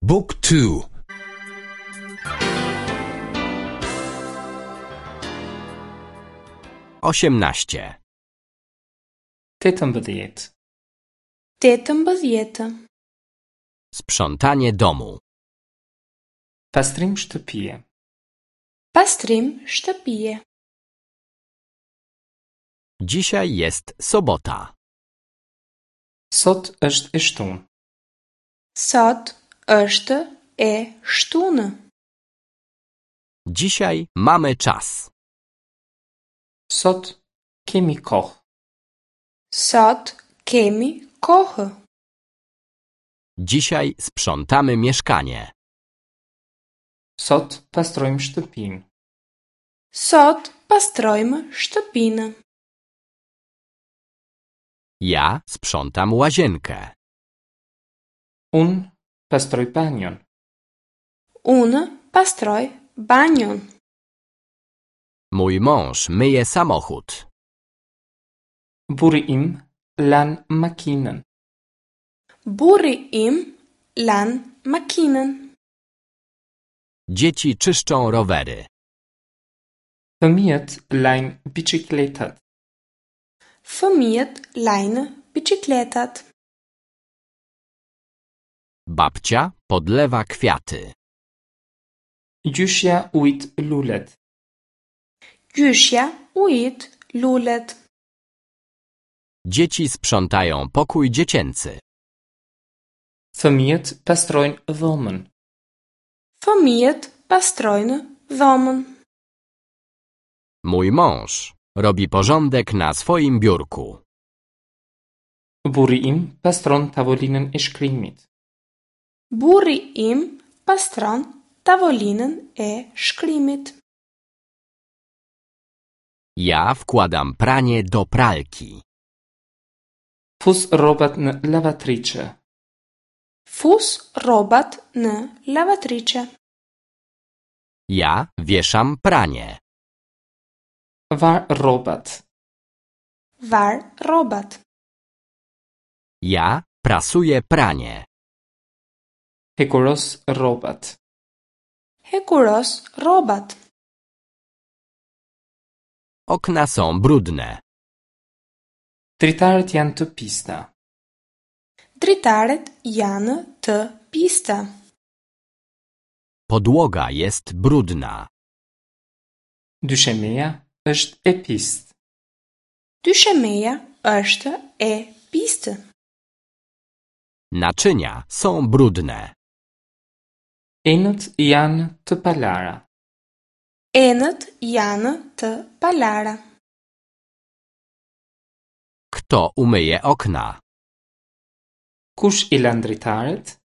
บุ๊กทู 18. 18. 18. Sprzątanie domu. Pastrim shtëpie. Pastrim shtëpie. Dzisiaj jest sobota. Sot është e shtunë. Sot është e shtunë. Dzisiaj mamy czas. Sot kemi kohë. Sot kemi kohë. Dzisiaj sprzątamy mieszkanie. Sot pastrojmë shtëpinë. Sot pastrojmë shtëpinë. Ja sprzątam łazienkę. Unë pastroj banjon. Unë pastroj banjon. Mój mąż myje samochód. Burri im lan makinën. Burri im lan makinën. Dzieci czyszczą rowery. Fëmijët lajnë biçikletat. Fëmijët lajnë biçikletat. Babcia podlewa kwiaty. Gjyshja ujit lulet. Gjyshja ujit lulet. Dzieci sprzątają pokój dziecięcy. Fëmijët pastrojnë dhomën. Fëmijët pastrojnë dhomën. Mój mąż robi porządek na swoim biurku. Burri im pastron tavolinën e shkrimit. Burri im pastron tavolinën e shkrimit. Ja wkładam pranie do pralki. Fus rrobat në lavatriçe. Fus rrobat në lavatriçe. Ja wieszam pranie. Var rrobat. Var rrobat. Ja prasuję pranie. Hekuros rrobat. Hekuros rrobat. Okna są brudne. Dritaret janë të pista. Dritaret janë të pista. Podłoga jest brudna. Dyshemeja është e pistë. Dyshemeja është e pistë. Naczynia są brudne. Enët janë të palara. Enët janë të palara. Kto umyje okna? Kush i lan dritaret?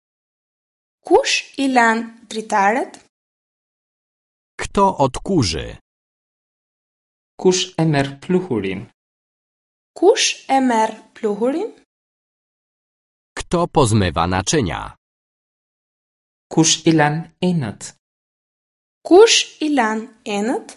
Kush i lan dritaret? Kto odkurzy? Kush e merr pluhurin? Kush e merr pluhurin? Kto pozmywa naczynia? Kush i lan enët? Kush i lan enët?